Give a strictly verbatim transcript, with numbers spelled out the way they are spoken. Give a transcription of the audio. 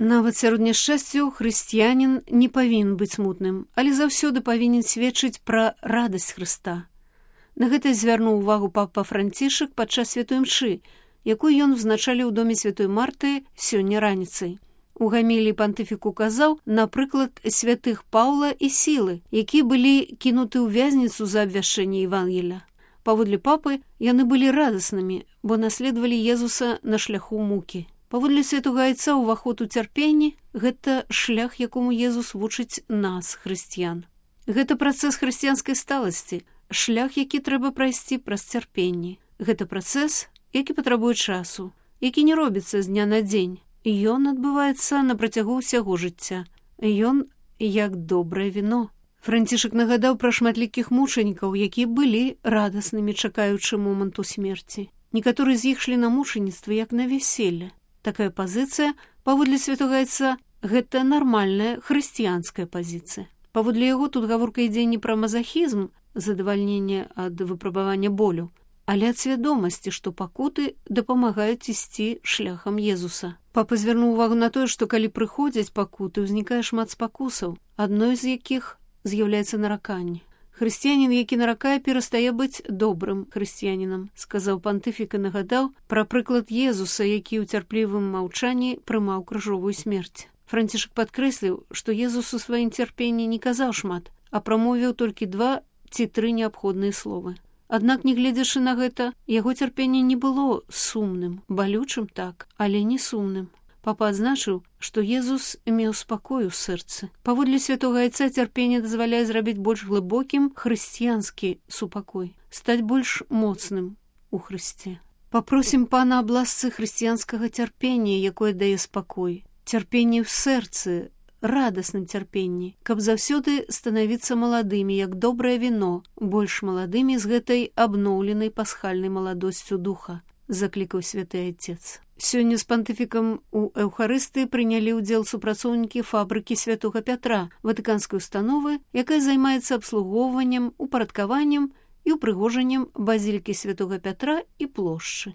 Нават сярод няшчасцяў хрысціянін не павінен быць смутным, але заўсёды павінен сведчыць пра радасць Хрыста. На гэта звярнуў увагу папа Францішак падчас святой мшы, якую ён узначаліў у доме святой Марты сёння раніцай. У гаміліі пантыфік указаў, напрыклад, святых Паўла і Сілы, якія былі кінуты ў вязніцу за абвяшчэнне Евангелія. Паводле папы яны былі радаснымі, бо наследавалі Езуса на шляху мукі. Паводле святога айца ўваход у цярпенні – гэта шлях, якому Езус вучыць нас, хрысціян. Гэта працэс хрысціянскай сталасці, шлях, які трэба прайсці праз цярпенні. Гэта працэс, які патрабуе часу, які не робіцца з дня на дзень. Ён адбываецца на працягу ўсяго жыцця. Ён як добрае віно. Францішак нагадаў пра шматлікіх мучанікаў, якія былі радаснымі, чакаючы моманту смерці. Некаторыя з іх шлі на мучаніцтва, як на вяселле. Такая пазіцыя, паводле святога айца, гэта нармальная хрысціянская пазіцыя. Паводле яго тут гаворка ідзе не пра мазахізм, задавальненне ад выпрабавання болю, але ад свядомасці, што пакуты дапамагаюць ісці шляхам Езуса. Папа звярнуў увагу на тое, што калі прыходзяць пакуты, узнікае шмат спакусаў, адной з якіх з'яўляецца нараканне. Хрысціянін, які наракае, перастае быць добрым хрысціянінам, сказаў пантыфік і нагадаў пра прыклад Езуса, які ў цярплівым маўчанні прымаў крыжовую смерць. Францішак падкрэсліў, што Езус у сваім цярпенні не казаў шмат, а прамовіў толькі два ці тры неабходныя словы. Аднак, нягледзячы на гэта, яго цярпенне не было сумным, балючым так, але не сумным. Папа адзначыў, што Езус меў спакой у сэрцы. Паводле святога айца цярпенне дазваляе зрабіць больш глыбокім хрысціянскі супакой, стаць больш моцным у Хрысце. Папросім Пана аб ласцы хрысціянскага цярпення, якое дае спакой, цярпенне ў сэрцы, радасным цярпенні, каб заўсёды станавіцца маладымі, як добрае віно, больш маладымі з гэтай абноўленай пасхальнай маладосцю духа, заклікаў святы айцец. Сёння з пантыфікам у Эўхарыстыі прынялі ўдзел супрацоўнікі фабрыкі святога Пятра, ватыканскай установы, якая займаецца абслугоўваннем, упарадкаваннем і ўпрыгожаннем базілікі святога Пятра і плошчы.